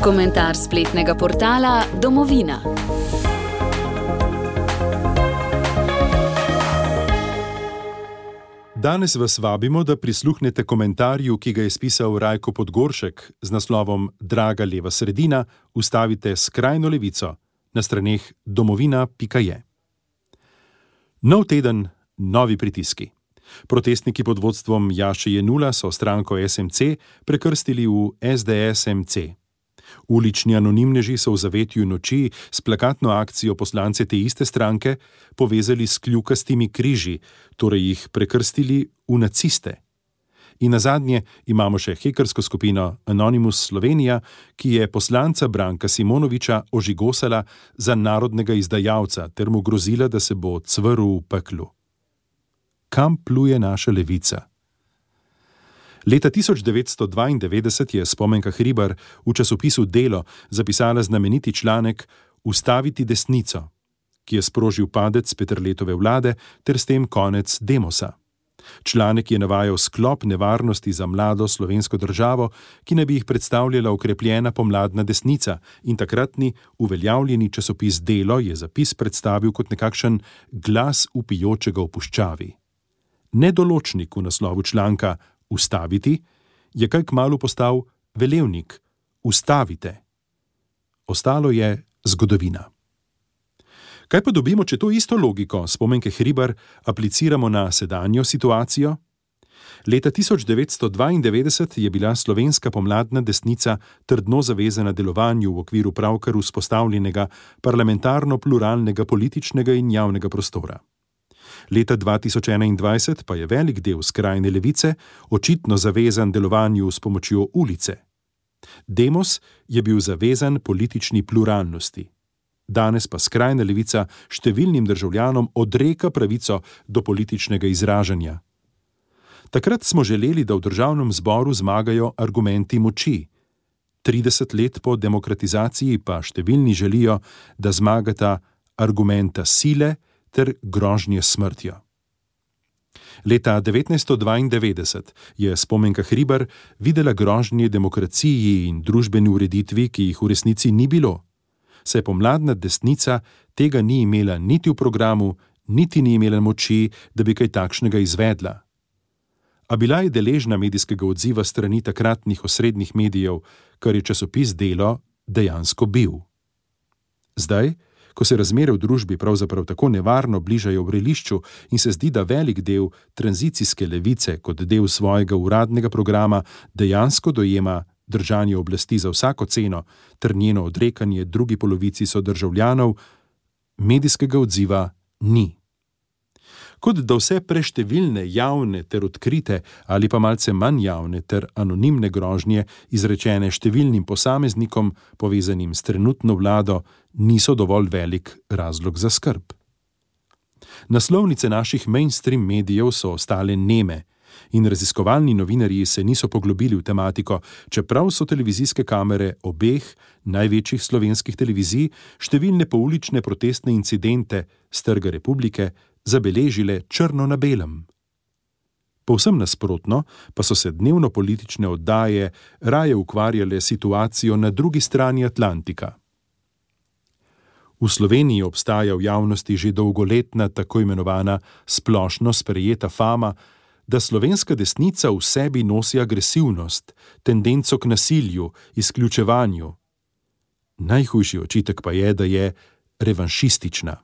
Komentar spletnega portala Domovina. Danes vas vabimo, da prisluhnete komentarju, ki ga je spisal Rajko Podgoršek z naslovom Draga leva sredina, ustavite skrajno levico na straneh domovina.je. Nov teden, novi pritiski. Protestniki pod vodstvom Jaše Jenulla so stranko SMC prekrstili v SDS-MC. Ulični anonimneži so v zavetju noči s plakatno akcijo poslance te iste stranke povezali s kljukastimi križi, torej jih prekrstili v naciste. In nazadnje imamo še hekersko skupino Anonymous Slovenija, ki je poslanca Branka Simonoviča ožigosala za narodnega izdajalca ter mu grozila, da se bo cvrl v peklu. Kam pluje naša levica? Leta 1992 je Spomenka Hribar v časopisu Delo zapisala znameniti članek Ustaviti desnico, ki je sprožil padec Peterletove vlade ter s tem konec Demosa. Članek je navajal sklop nevarnosti za mlado slovensko državo, ki naj bi jih predstavljala okrepljena pomladna desnica, in takratni uveljavljeni časopis Delo je zapis predstavil kot nekakšen glas vpijočega v puščavi. Nedoločnik v naslovu članka Ustaviti je kaj kmalu postal velevnik Ustavite. Ostalo je zgodovina. Kaj pa dobimo, če to isto logiko Spomenke Hribar apliciramo na sedanjo situacijo? Leta 1992 je bila slovenska pomladna desnica trdno zavezana delovanju v okviru pravkar vzpostavljenega parlamentarno-pluralnega političnega in javnega prostora. Leta 2021 pa je velik del skrajne levice očitno zavezan delovanju s pomočjo ulice. Demos je bil zavezan politični pluralnosti. Danes pa skrajna levica številnim državljanom odreka pravico do političnega izražanja. Takrat smo želeli, da v državnem zboru zmagajo argumenti moči. 30 let po demokratizaciji pa številni želijo, da zmagata argumenta sile ter grožnje smrtjo. Leta 1992 je Spomenka Hribar videla grožnje demokraciji in družbeni ureditvi, ki jih v resnici ni bilo. Saj pomladna desnica tega ni imela niti v programu, niti ni imela moči, da bi kaj takšnega izvedla. A bila je deležna medijskega odziva strani takratnih osrednjih medijev, kar je časopis Delo dejansko bil. Zdaj, ko se razmere v družbi pravzaprav tako nevarno bližajo vrelišču in se zdi, da velik del tranzicijske levice kot del svojega uradnega programa dejansko dojema držanje oblasti za vsako ceno ter njeno odrekanje drugi polovici sodržavljanov, medijskega odziva ni. Kot da vse preštevilne javne ter odkrite ali pa malce manj javne ter anonimne grožnje, izrečene številnim posameznikom povezanim s trenutno vlado, niso dovolj velik razlog za skrb. Naslovnice naših mainstream medijev so ostale neme in raziskovalni novinarji se niso poglobili v tematiko, čeprav so televizijske kamere obeh največjih slovenskih televizij številne poulične protestne incidente s Trga Republike zabeležile črno na belem. Povsem nasprotno pa so se dnevno politične oddaje raje ukvarjale situacijo na drugi strani Atlantika. V Sloveniji obstaja v javnosti že dolgoletna tako imenovana splošno sprejeta fama, da slovenska desnica v sebi nosi agresivnost, tendenco k nasilju, izključevanju. Najhujši očitek pa je, da je revanšistična.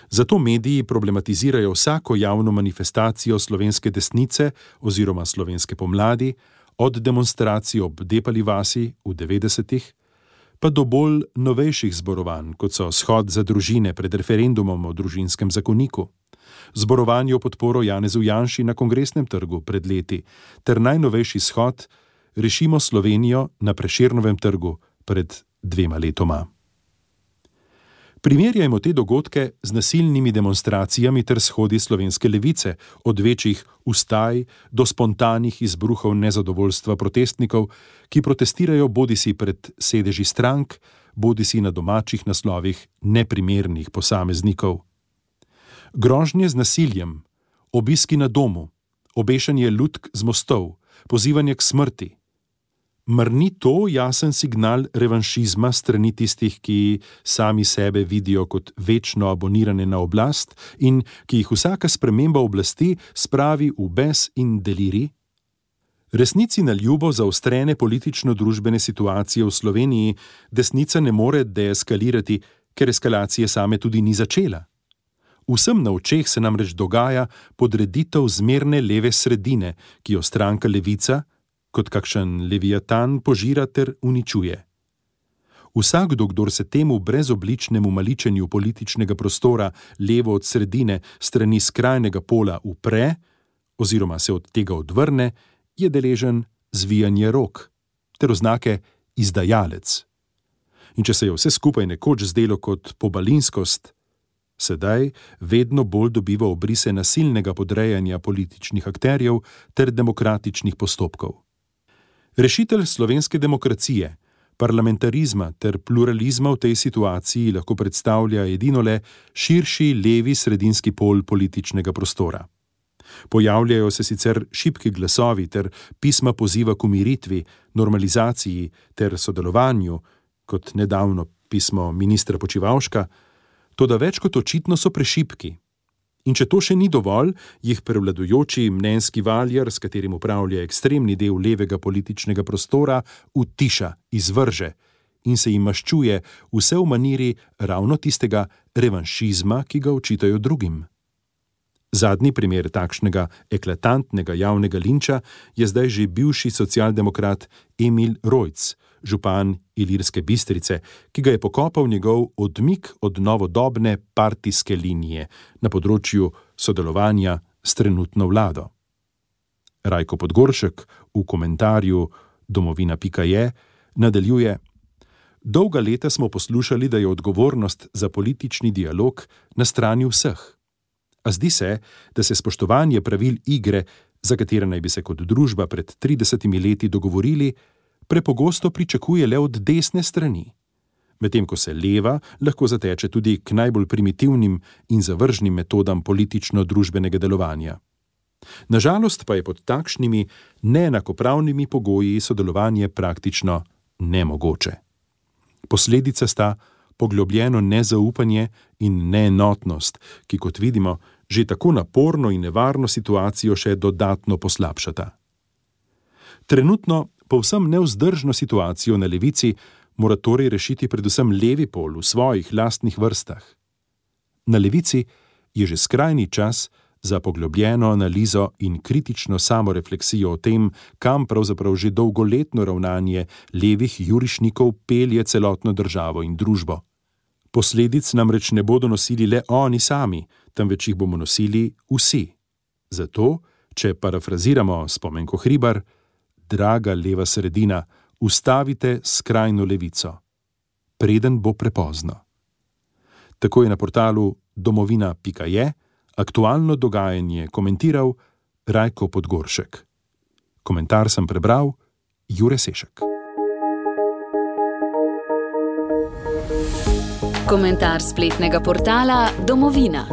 Zato mediji problematizirajo vsako javno manifestacijo slovenske desnice oziroma slovenske pomladi, od demonstracij ob Depali vasi v 90-ih, pa do bolj novejših zborovanj, kot so shod za družine pred referendumom o družinskem zakoniku, zborovanje v podporo Janezu Janši na Kongresnem trgu pred leti ter najnovejši shod Rešimo Slovenijo na Prešernovem trgu pred 2 letoma. Primerjajmo te dogodke z nasilnimi demonstracijami ter shodi slovenske levice, od večjih vstaj do spontanih izbruhov nezadovoljstva protestnikov, ki protestirajo bodisi pred sedeži strank, bodisi na domačih naslovih neprimernih posameznikov. Grožnje z nasiljem, obiski na domu, obešanje lutk z mostov, pozivanje k smrti. Mar ni to jasen signal revanšizma strani tistih, ki sami sebe vidijo kot večno abonirane na oblast in ki jih vsaka sprememba oblasti spravi v bes in delirij? Resnici na ljubo zaostrene politično-družbene situacije v Sloveniji desnica ne more deeskalirati, ker eskalacije same tudi ni začela. Vsem na očeh se namreč dogaja podreditev zmerne leve sredine, ki jo stranka Levica kot kakšen leviatan požira ter uničuje. Vsakdo, kdor se temu brezobličnemu maličenju političnega prostora levo od sredine strani skrajnega pola upre oziroma se od tega odvrne, je deležen zvijanja rok ter oznake izdajalec. In če se je vse skupaj nekoč zdelo kot pobalinskost, sedaj vedno bolj dobiva obrise nasilnega podrejanja političnih akterjev ter demokratičnih postopkov. Rešitelj slovenske demokracije, parlamentarizma ter pluralizma v tej situaciji lahko predstavlja edino le širši levi sredinski pol političnega prostora. Pojavljajo se sicer šibki glasovi ter pisma poziva k umiritvi, normalizaciji ter sodelovanju, kot nedavno pismo ministra Počivalška, toda več kot očitno so prešibki. In če to še ni dovolj, jih prevladujoči mnenjski valjar, s katerim upravlja ekstremni del levega političnega prostora, utiša, izvrže in se jim maščuje vse v maniri ravno tistega revanšizma, ki ga očitajo drugim. Zadnji primer takšnega eklatantnega javnega linča je zdaj že bivši socialdemokrat Emil Rojc, župan Ilirske Bistrice, ki ga je pokopal njegov odmik od novodobne partijske linije na področju sodelovanja s trenutno vlado. Rajko Podgoršek v komentarju domovina.je nadaljuje: Dolga leta smo poslušali, da je odgovornost za politični dialog na strani vseh. A zdi se, da se spoštovanje pravil igre, za katere naj bi se kot družba pred 30 leti dogovorili, prepogosto pričakuje le od desne strani, medtem ko se leva lahko zateče tudi k najbolj primitivnim in zavržnim metodam politično-družbenega delovanja. Nažalost pa je pod takšnimi neenakopravnimi pogoji sodelovanje praktično nemogoče. Posledica sta poglobljeno nezaupanje in neenotnost, ki, kot vidimo, že tako naporno in nevarno situacijo še dodatno poslabšata. Trenutno povsem nevzdržno situacijo na levici mora torej rešiti predvsem levi pol v svojih lastnih vrstah. Na levici je že skrajni čas za poglobljeno analizo in kritično samorefleksijo o tem, kam pravzaprav že dolgoletno ravnanje levih jurišnikov pelje celotno državo in družbo. Posledic namreč ne bodo nosili le oni sami, temveč jih bomo nosili vsi. Zato, če parafraziramo Spomenko Hribar, draga leva sredina, ustavite skrajno levico, preden bo prepozno. Tako je na portalu domovina.je aktualno dogajanje komentiral Rajko Podgoršek. Komentar sem prebral Jure Sešek. Komentar spletnega portala Domovina.